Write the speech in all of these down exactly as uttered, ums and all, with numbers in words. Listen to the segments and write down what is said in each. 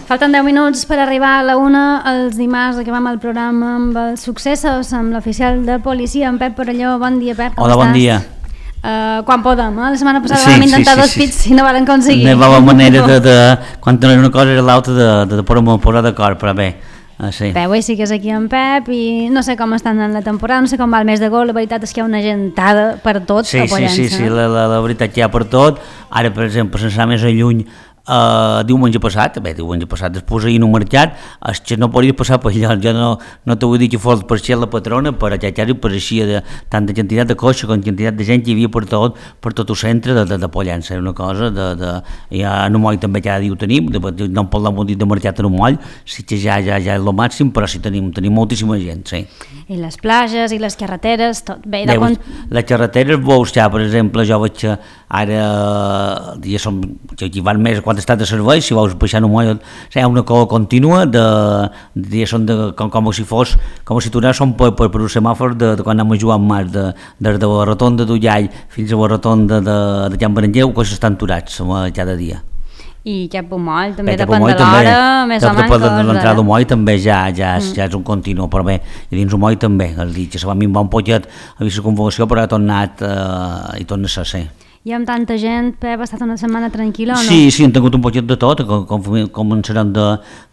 Falten deu minuts per arribar a la una. Els dimarts acabem el programa amb els successos, amb l'oficial de policia, en Pep Perelló. Bon dia, Pep, com Hola, estàs? bon dia. Uh, quan podem, eh? La setmana passada Sí, vam intentar sí, sí, dos sí. pits i no van aconseguir. No hi va la manera de, de, quan no era una cosa era l'altra, de, de, de posar d'acord, però bé, uh, sí. Bé, avui sí que és aquí en Pep i no sé com estan en la temporada, no sé com va el mes de gol, la veritat és que hi ha una gentada per tot Sí, a sí, Pollença. sí, sí, la, la, la veritat que hi ha per tot. Ara, per exemple, sense anar més a lluny, Uh, diumenge passat, bé, diumenge passat després ahir no marxat, és que no podia passar per allà, jo no, no t'ho vull dir que fos per ser la patrona, però ja ja pareixia de tanta quantitat de cotxe com quantitat de gent que hi havia per tot, per tot el centre de, de, de Pollença, era una cosa de, de, ja en un moll també cada dia ho tenim, de, de, no en parlem un dit de marxat en un moll, sí que ja, ja, ja és el màxim, però sí tenim, tenim moltíssima gent, sí. I les plages i les carreteres, tot bé. Bé, De quan... les carreteres veus ja, per exemple, jo veig que ara ja som, que aquí van més quan estat de servei, si veus baixant un moll, hi ha una cosa contínua de, de, de, de com, com si fos, com si tornéssim per, per, per un semàfor de, de quan anem a jugar en mar, de, de, de la rotonda d'Ullall fins a la rotonda de, de Can Berenguer, que s'estan aturats cada dia. I cap un moll, també Bé, depèn moll, de l'hora, també, més o menys. Depèn de l'entrada del moll també ja, ja, és, mm. ja és un continu, però bé, i dins el moll també, el dit que se va minvar un poquet a vist la convocació, però ha tornat eh, i torna a ser, sí. I amb tanta gent, Pep, ha estat una setmana tranquil·la o no? Sí, sí, hem tingut un poquet de tot, com, com començarem de,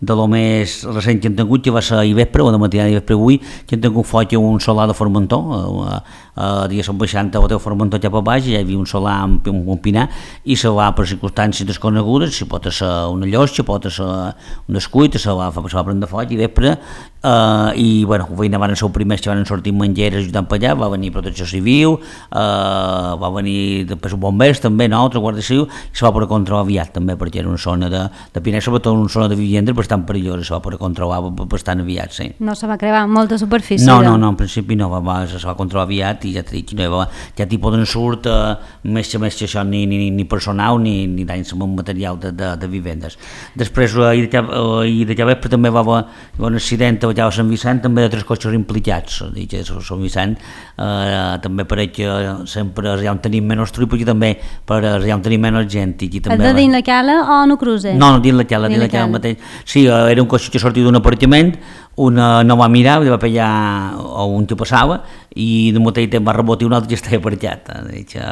de lo més recent que hem tingut, que va ser a Ivespre, o de matinada d'Ivespre avui, que hem tingut foc un solar de Formentor, a, a, a diguéssim baixant a hotel Formentor cap a baix, ja hi havia un solar amb un pinar, i se va per circumstàncies desconegudes, si pot ser una llotja, pot ser un escuit, se va, se va prendre foc i Ivespre, Uh, i bueno, veïna van ser els primers que van sortir mengeres ajudant per allà, va venir Protecció Civil, uh, va venir després els bombers també, no, altra Guàrdia Civil, i se va poder controlar aviat també, perquè era una zona de, de Pinar, sobretot una zona de vivendes bastant perillosa, se va poder controlar bastant aviat, sí. No se va crear molta superfície? No, no, no, en principi no, va, va, se va controlar aviat i ja t'he dit que no hi va, ja t'hi poden surt uh, més que més que això, ni, ni, ni personal ni, ni danys amb material de, de, de vivendes. Després, uh, ahir de Llavespre també va haver un accident allà a Sant Vicent, també de tres cotxes implicats, dic que a Sant Vicent eh, també pareix que sempre allà on tenim menys truipos i també per allà on tenim menys gent. I també és de dins la cala o no cruze? No, no, dins la cala, dins la cala mateix. Sí, era un cotxe que sortia d'un apartament, una no va mirar, va pillar un que passava i de mateix temps va rebotir un altre que estava aparcat,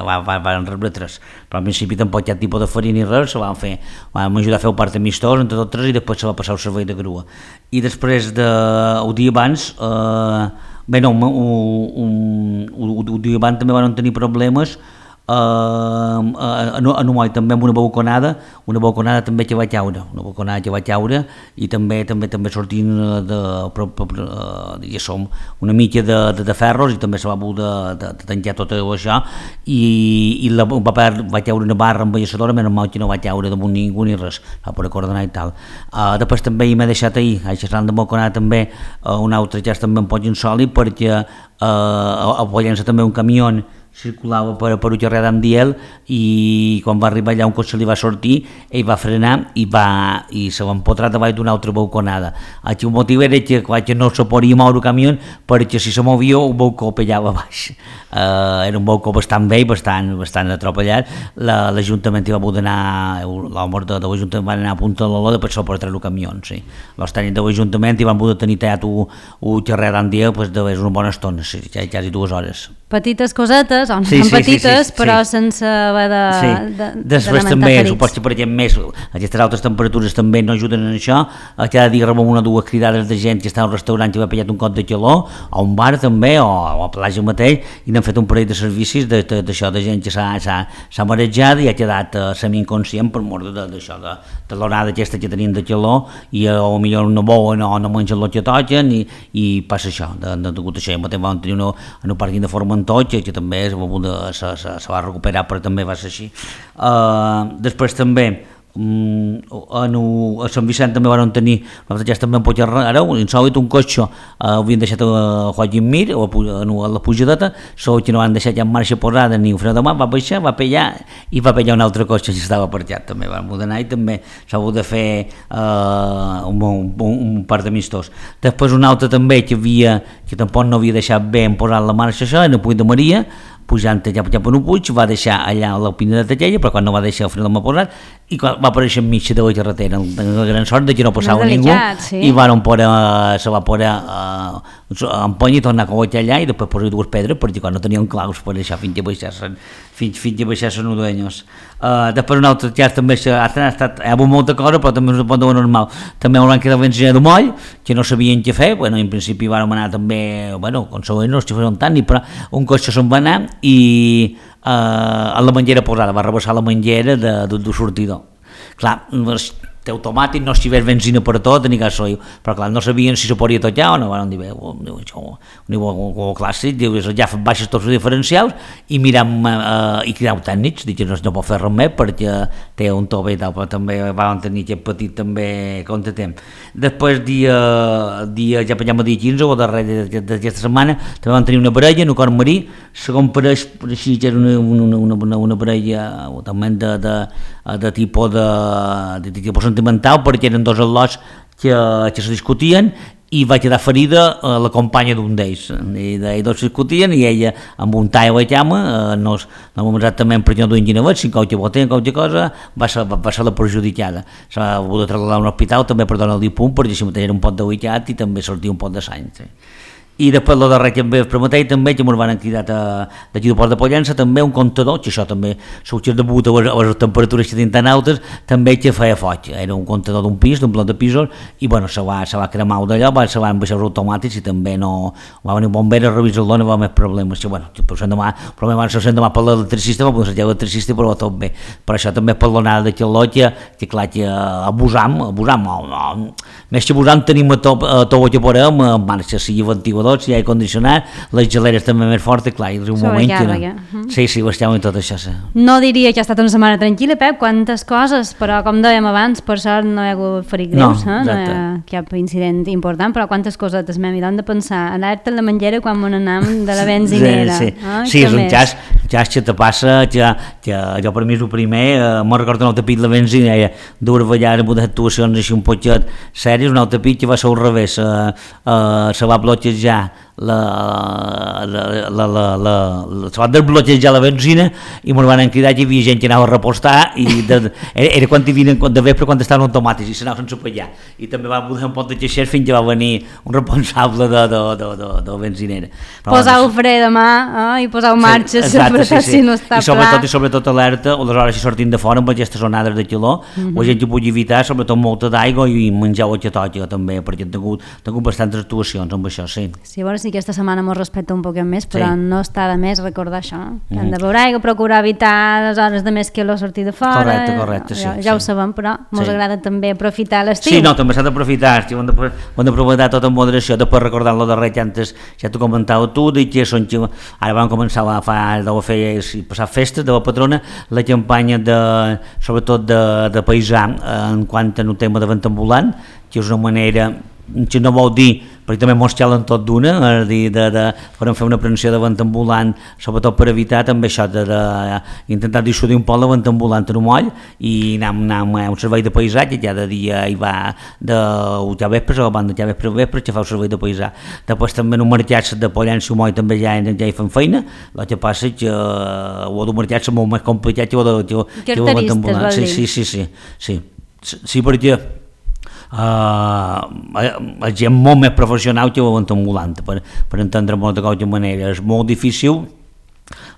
va, va, van rebre tres, però al principi tampoc hi ha tipus de farina ni res, se van fer, vam ajudar a fer el part amistós entre tots tres i després se va passar el servei de grua. I després de, el dia abans, eh, bé no, un, un, un, un dia abans també van tenir problemes Uh, uh, en, en un moll també amb una balconada, una balconada també que va caure, una balconada que va caure i també també també sortint de, de, de, de som una mica de, de, de ferros i també se va haver de, de, de tancar tot això i, i la, va, va caure una barra embelliçadora, menys mal que no va caure damunt ningú ni res, va poder coordinar i tal. Uh, després també m'he deixat ahir, a xerrant de balconada també, uh, un altre ja també en pot insòlid perquè uh, a Pollença també un camió circulava per, per un carrer d'Amdiel i quan va arribar allà un cotxe li va sortir, ell va frenar i, va, i se va empotrar davall d'una altra balconada. Aquí el motiu era que, que no se podia moure el camió perquè si se movia el balcó pellava baix. Uh, era un balcó bastant vell, bastant, bastant atropellat. La, L'Ajuntament hi va poder anar, l'home de, de l'Ajuntament va anar a Punta de l'Oló després per treure el camió, sí. Els tècnics de l'Ajuntament hi van poder tenir tallat un carrer d'Amdiel pues, de una bona estona, sí, ja quasi dues hores. Petites cosetes, o no sí, són sí, petites, sí, sí, però sí. sense haver de, sí. de, Després de també, ferits. suposo que per exemple més, aquestes altres temperatures també no ajuden en això, cada dia rebem una o dues cridades de gent que està al restaurant que va pillat un cot de calor, o un bar també, o, o a platja mateix, i n'han fet un parell de servicis d'això, de, de gent que s'ha marejat i ha quedat uh, semi-inconscient per mort d'això, de, de l'horada aquesta que tenien de calor, i uh, o millor no beuen o no mengen el que toquen, i, i passa això, de, de, de, de això. Mateix vam tenir una, en un pàrquing de Formentor, que, que també es va, se, se, se va recuperar, però també va ser així. Uh, després també um, en, a Sant Vicent també van tenir ja també en Puigcerrada, insòlit un cotxe, uh, havien deixat a Joaquim Mir a, a, a la pujadeta, sol que no van deixar ja en marxa posada ni un fre de mà, va baixar, va pellar i va pellar un altre cotxe que estava aparcat també, van poder anar i també s'ha hagut de fer uh, un, un, un part d'amistós. Després un altre també que havia, que tampoc no havia deixat bé en posar la marxa això, en el Puig de Maria, pujant ja, ja per un puig, va deixar allà la pina de Tallella, però quan no va deixar al final m'ha posat, i quan va aparèixer enmig de la carretera, la gran sort de que no passava ningú, sí. i van poder, se va poder uh, empènyer i tornar a cogotar allà, i després posar dues pedres, perquè quan no tenien claus per deixar fins a baixar-se'n, fins, fins a baixar-se'n els dueños. Uh, després un altre cas també, ha estat, hi ha hagut molta cosa, però també és un punt normal. També hauran quedat benzina de moll, que no sabien què fer, bueno, en principi van anar també, bueno, com sabeu, no els xifres tant, però un cotxe se'n va anar i eh, a la menjera posada, va rebassar la menjera de, de, de sortidor. Clar, té automàtic, no si ves benzina per tot, ni cas soio, però clar, no sabien si se podia tocar o no, van dir, bé, un nivell clàssic, dius, ja baixes tots els diferencials i miram eh, i cridau tècnics, dic, no, no pot fer res més perquè té un tope i tal, però també van tenir aquest petit també contratemps. Després, dia, dia ja pensem a dia quinze o darrer d'aquesta setmana, també van tenir una parella, un acord marí, segon pareix, així que era una, una, una, una parella també de, de, de tipus de, de, de tipus sentimental, perquè eren dos al·lots que, que se discutien i va quedar ferida eh, la companya d'un d'ells, i ells dos discutien i ella amb un tall a la cama, eh, no, no exactament perquè no duien ginavet, si qualque boten, qualque cosa, va ser, va, va ser la perjudicada. S'ha hagut de trasladar a un hospital també per donar-li punt, perquè si mateix era un pot de huicat i també sortia un pot de sang. Sí. I després el darrer que em ve prometei també, que ens van cridar d'aquí del Port de Pollença, també un comptador, que això també s'ho degut a les, a les temperatures que tenen tan altes, també que feia foc, era un comptador d'un pis, d'un bloc de pisos, i bueno, se va, se va cremar d'allò, se van baixar els automàtics i també no, va venir un bomber a revisar-lo, no va haver més problemes, que bueno, però demà, problema va ser demà per l'electricista, va poder ser l'electricista, però tot bé, però això també per l'onada d'aquest lot, que, que clar, que abusam, abusam, no, no, més que abusam tenim a tot, a tot el que podem, en marxa, sigui ventilador, si hi ha condicionat, les geleres també més fortes, clar, és un moment que no. Uh-huh. Sí, sí, ho estem en tot això, sí. No diria que ha estat una setmana tranquil·la, Pep, quantes coses, però com dèiem abans, per sort no hi ha hagut ferit greus, no, eh? No hi ha cap incident important, però quantes cosetes m'hem idat de pensar, anar-te a la menjera quan m'on anam de la benzinera. Sí, sí. Oh, sí és un cas, cas que te passa, que, que jo per mi és el primer, eh, me'n recordo un altre pit la benzinera, dues vegades amb unes actuacions així un potxet sèries, un altre pit que va ser al revés, eh, eh, se va bloquejar la, la, la, la, la, la, se va desbloquejar la benzina i ens van cridar que hi havia gent que anava a repostar i de, era, era quan hi havien de vespre quan estaven automàtics i s'anaven sense pagar i també va poder un pot de queixers fins que va venir un responsable de, de, de, de, de la benzinera. Posar el fre de mà eh, i posar en marxa, sí, exacte, sí, sí. Si no està I sobretot, i sobretot alerta o les hores si sortim de fora amb aquestes onades de calor, mm-hmm. o gent que pugui evitar sobretot molta d'aigua i menjar o que toca també, perquè han tingut, tingut bastantes actuacions amb això, sí. Sí, bueno, sí que aquesta setmana mos respecta un poc més, però sí. No està de més recordar això, que hem de beure aigua, procurar evitar les hores de més que la sortir de fora. Correcte, correcte, sí. Ja, ja sí. Ho sabem, però mos sí. Agrada també aprofitar l'estiu. Sí, no, també s'ha d'aprofitar, sí, ho hem d'aprofitar tot amb moderació, després recordant lo darrer que antes ja t'ho comentava tu, i que són, ara vam començar a fa, a fer, a passar festes de la patrona, la campanya de, sobretot de, de paisà en quant a un tema de vent ambulant, que és una manera que no vol dir, perquè també mos xalen tot d'una, és a dir, de, de, podem fer una prevenció de vent ambulant, sobretot per evitar també això, de, de, de intentar dissuadir un poc la vent ambulant en un moll, i anar, anar a un servei de paisà, que cada dia hi va de ja vespres, o abans de ja vespres, vespres, que fa el servei de paisà. Després també en un mercat de Pollença i moll també ja, ja hi fan feina, el que passa és que ho d'un mercat és molt més complicat que ho de, que, que ho de vent ambulant. Sí, sí, sí, sí, sí, sí, sí, perquè Uh, la gent molt més professional que ho vent ambulant, per, per entendre molt de qualque manera. És molt difícil,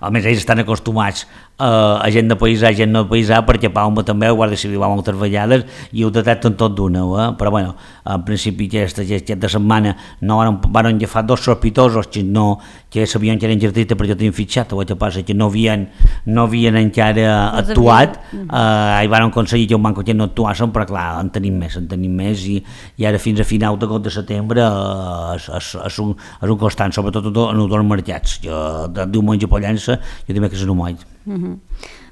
a més ells estan acostumats Uh, a gent de paisà, gent no de paisà, perquè Palma també, el Guàrdia Civil va moltes vegades i ho detecten tot d'una, eh? Però bueno, en principi aquesta, aquesta setmana no van, van agafar dos sospitosos que no, que sabien que eren jardistes perquè tenien fitxat, el que passa que no havien, no havien encara actuat, uh, i van aconseguir que un banco que no actuassin, però clar, en tenim més, en tenim més, i, i ara fins a final d'agost de setembre uh, és, és, és, un, és un constant, sobretot en els dos mercats, jo de diumenge a Pollença, jo també que és un moll. Uh-huh.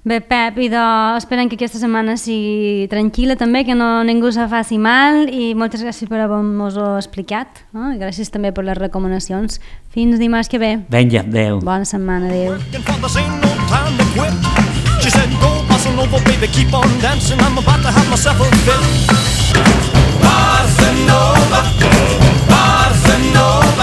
Bé, Pep, i de, esperem que aquesta setmana sigui tranquil·la també, que no ningú se faci mal, i moltes gràcies per haver-nos-ho explicat, no? I gràcies també per les recomanacions. Fins dimarts que ve. Vinga, adeu. Bona setmana, adeu. Barcelona, Barcelona.